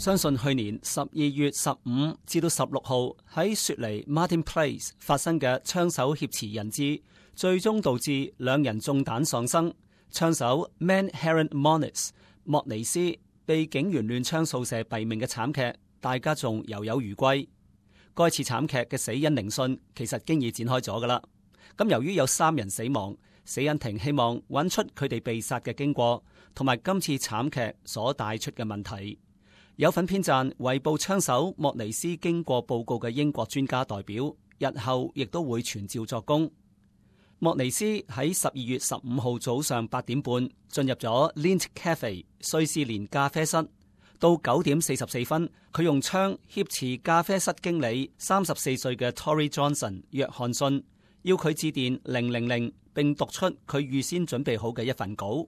相信去年12月15至到16號喺雪梨 Martin Place 發生嘅槍手挾持人質，最終導致2人中彈喪生。槍手 Manharan Moniz 莫尼斯被警員亂槍掃射斃命嘅慘劇，大家仲猶有餘悸。該次慘劇嘅死因聆訊其實經已展開咗㗎喇。咁由於有3人死亡，死因庭希望揾出佢哋被殺嘅經過，同埋今次慘劇所帶出嘅問題。有份編撰圍捕槍手莫尼斯經過報告嘅英國專家代表，日後亦都會傳召作供。莫尼斯喺12月15號早上8點半進入咗 Lindt Cafe 瑞士蓮咖啡室，到9點44分，佢用槍挾持咖啡室經理34歲嘅 Tory Johnson 約翰遜，要佢致電000，並讀出佢預先準備好嘅一份稿。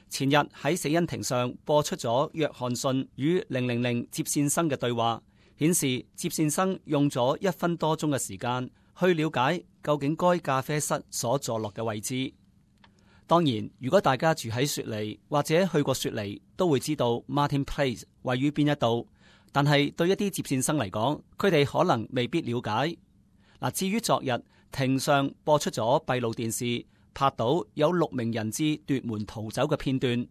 前日喺死因庭上播出咗約翰遜與000接線生嘅對話，顯示接線生用咗1分多鐘嘅時間去了解究竟該咖啡室所坐落嘅位置。當然，如果大家住喺雪梨或者去過雪梨，都會知道 Martin Place 位於邊一度。但係對一啲接線生嚟講，佢哋可能未必了解。至於昨日庭上播出咗閉路電視，拍到有6名人質奪門逃走嘅片段。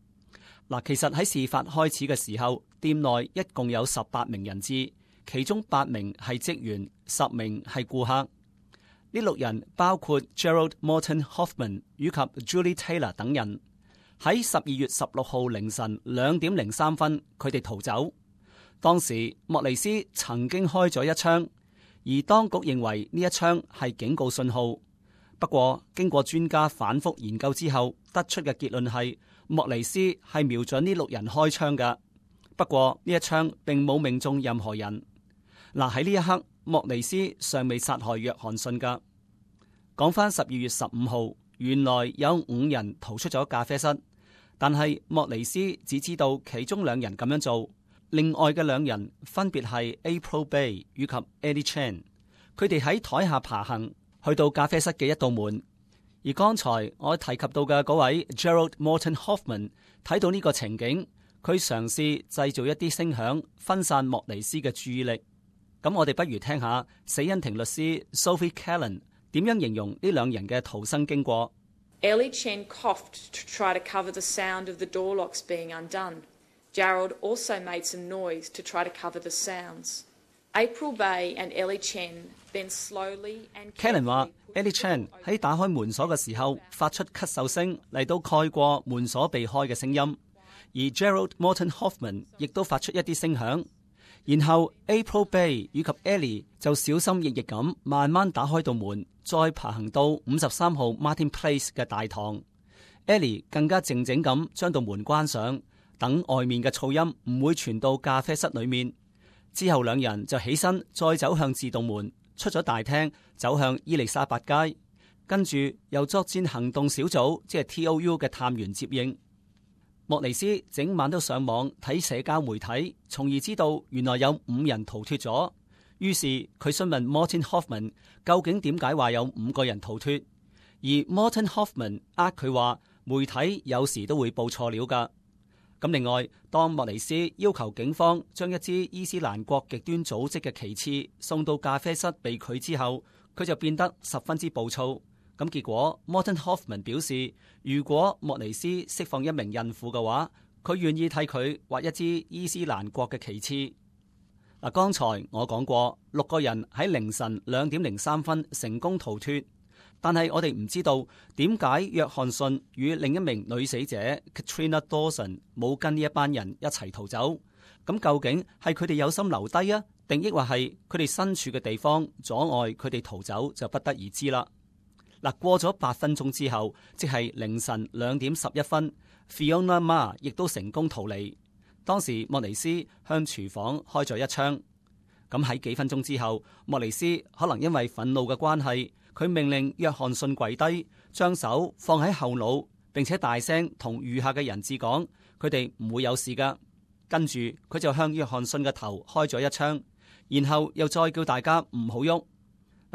其實喺事發開始嘅時候，店內一共有18名人質，其中8名係職員，10名係顧客。呢6人包括 Gerald Morton Hoffman 以及 Julie Taylor 等人。喺12月16號凌晨2點03分，佢哋逃走。當時莫尼斯曾經開咗一槍，而當局認為呢一槍係警告信號。不過經過專家反覆研究之後，得出嘅結論係莫尼斯係瞄準呢6人開槍㗎。不過呢一槍並冇命中任何人。喺呢一刻，莫尼斯尚未殺害約翰遜㗎。講返12月15號，原來有5人逃出咗咖啡室，但係莫尼斯只知道其中2人咁樣做，另外嘅2人分別係 April Bay 以及 Ellie Chan。佢哋喺台下爬行，去到咖啡室嘅一道門。而剛才我提及到嘅嗰位 Gerald Morton Hoffman 睇到呢個情景，佢嘗試製造一啲聲響，分散莫尼斯嘅注意力。咁我哋不如聽下死因庭律師 Sophie Callan 點樣形容呢2人嘅逃生經過。Ellie Chen coughed to try to cover the sound of the door locks being undone. Gerald also made some noise to try to cover the sounds. April Bay and Ellie Chen then slowly and Callan 話 Ellie Chen 喺打開門鎖嘅時候發出咳嗽聲嚟到蓋過門鎖被開嘅聲音，而 Gerald Morton Hoffman 亦都發出一啲聲響。然後 April Bay 以及 Ellie 就小心翼翼咁慢慢打開道門，再爬行到53號 Martin Place 嘅大堂。Ellie 更加靜靜咁將道門關上，等外面嘅噪音唔會傳到咖啡室裏面。之後2人就起身，再走向自動門，出咗大廳，走向伊麗莎白街，跟住由作戰行動小組即係 TOU 嘅探員接應。莫尼斯整晚都上網睇社交媒體，從而知道原來有5人逃脫咗。於是佢詢問 Morton Hoffman 究竟點解話有5個人逃脫，而 Morton Hoffman 佢話媒體有時都會報錯料㗎。咁另外，當莫尼斯要求警方將一支伊斯蘭國極端組織嘅旗幟送到咖啡室被拒之後，佢就變得十分之暴躁。咁結果 Morton Hoffman 表示，如果莫尼斯釋放一名孕婦嘅話，佢願意替佢畫一支伊斯蘭國嘅旗幟。剛才我講過6個人喺凌晨2點03分成功逃脫。但係我哋唔知道點解約翰遜與另一名女死者 Katrina Dawson 冇跟呢一班人一齊逃走。咁究竟係佢哋有心留低啊，定抑或係佢哋身處嘅地方阻礙佢哋逃走，就不得而知啦。過咗8分鐘之後，即係凌晨2點11分 Fiona Ma 亦都成功逃離。當時莫尼斯向廚房開咗一槍。咁喺幾分鐘之後，莫尼斯可能因為憤怒嘅關係，佢命令約翰遜跪低，將手放喺後腦，並且大聲同餘下嘅人質講，佢哋唔會有事噶。跟住佢就向約翰遜嘅頭開咗一槍，然後又再叫大家唔好喐。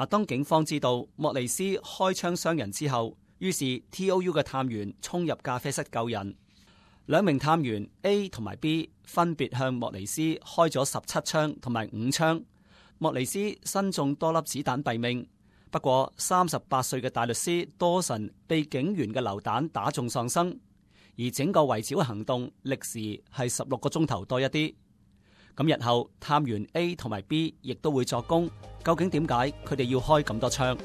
當警方知道莫尼斯開槍傷人之後，於是 TOU 嘅探員衝入咖啡室救人。兩名探員 A 同埋 B 分別向莫尼斯開咗17槍同埋5槍，莫尼斯身中多粒子彈斃命。不過38歲嘅大律師多神被警員嘅流彈打中喪生，而整個圍剿行動歷時係16個鐘頭多一啲。咁日後探員 A 同埋 B 亦都會作供，究竟點解佢哋要開咁多槍？